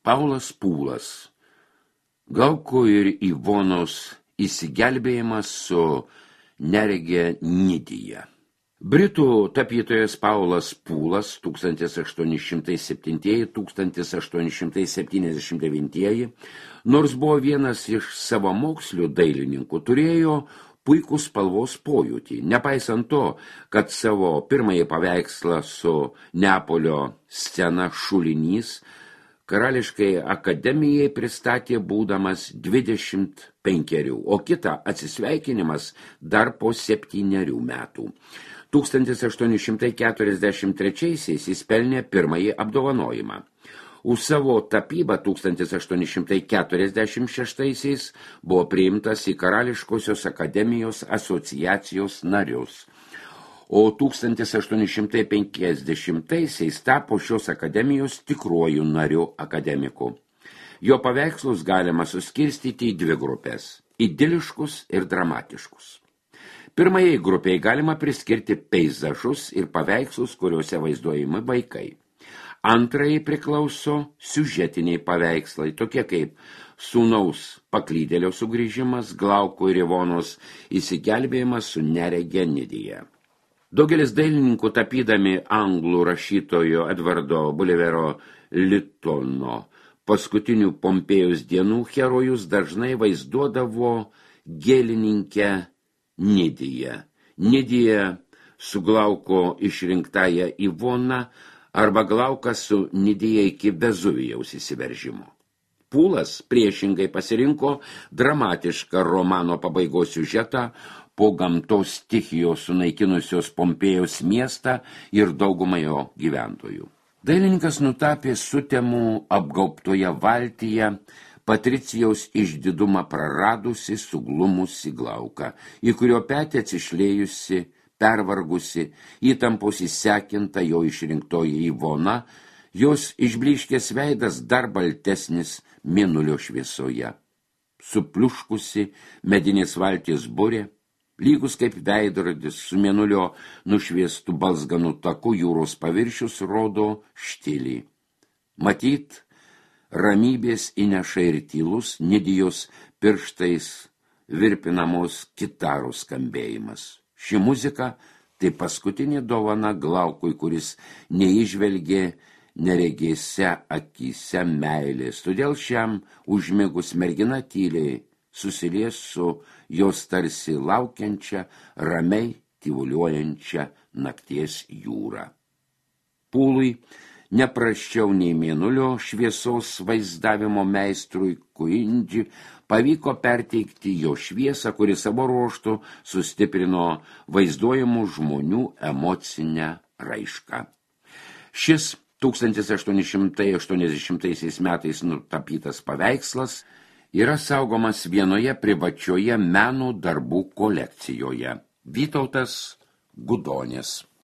Paulas Pūlas. Glauko ir Ivonos įsigelbėjimas su neregė Nidija. Britų tapytojas Paulas Pūlas 1807–1879, nors buvo vienas iš savamokslių dailininkų, turėjo puikų spalvos pojūtį, nepaisant to, kad savo pirmąjį paveikslą su Neapolio scena Šulinys Karališkai akademijai pristatė būdamas 25, o kitą atsisveikinimas dar po 7 metų. 1843 jis pelnė pirmąjį apdovanojimą. Už savo tapybą 1846 buvo priimtas į Karališkosios akademijos asociacijos narius, o 1850 tapo šios akademijos tikruoju nariu akademiku. Jo paveikslus galima suskirstyti į 2 grupės – idiliškus ir dramatiškus. Pirmajai grupiai galima priskirti peizažus ir paveikslus, kuriuose vaizduojami vaikai. Antrajai priklauso siužetiniai paveikslai, tokie kaip Sūnaus paklydėlio sugrįžimas, Glauko ir Ivonos įsigelbėjimas su nerege Nidija. Daugelis dailininkų tapydami anglų rašytojo Edvardo Bulvero Lytono paskutinių Pompėjos dienų herojus dažnai vaizduodavo gėlininkę Nidiją. Nidija su Glauko išrinktąją Ivoną arba Glauką su Nidija iki Vezuvijaus įsiveržimo. Pūlas priešingai pasirinko dramatišką romano pabaigos siužetą po gamtos stichijos sunaikinusios Pompėjos miestą ir daugumą jo gyventojų. Dailininkas nutapė sutemų apgaubtoje valtyje Patricijaus išdidumą praradusi, suglumusi Glauką, į kurio petį atsišlėjusi, pervargusi, įtampos įsekinta jo išrinktoji Ivona, jos išblyškęs veidas dar baltesnis mėnulio šviesoje. Supliuškusi medinės valties burė, lygus kaip veidrodis su mėnulio nušviestų balzganų taku jūros paviršius rodo štilį. Matyt, ramybės įneša ir tylus Nidijos pirštais virpinamos kitaros skambėjimas. Ši muzika tai paskutinė dovana Glaukui, kuris neįžvelgė neregėse akyse meilės. Todėl šiam užmigus mergina tyliai susilies su jos tarsi laukiančia, ramiai tyvuliuojančia nakties jūra. Pūlui neprasčiau nei mėnulio šviesos vaizdavimo meistrui Kuindži pavyko perteikti jo šviesą, kuri savo ruožtu sustiprino vaizduojamų žmonių emocinę raišką. Šis 1880 metais nutapytas paveikslas yra saugomas vienoje privačioje meno darbų kolekcijoje. Vytautas Gudonis.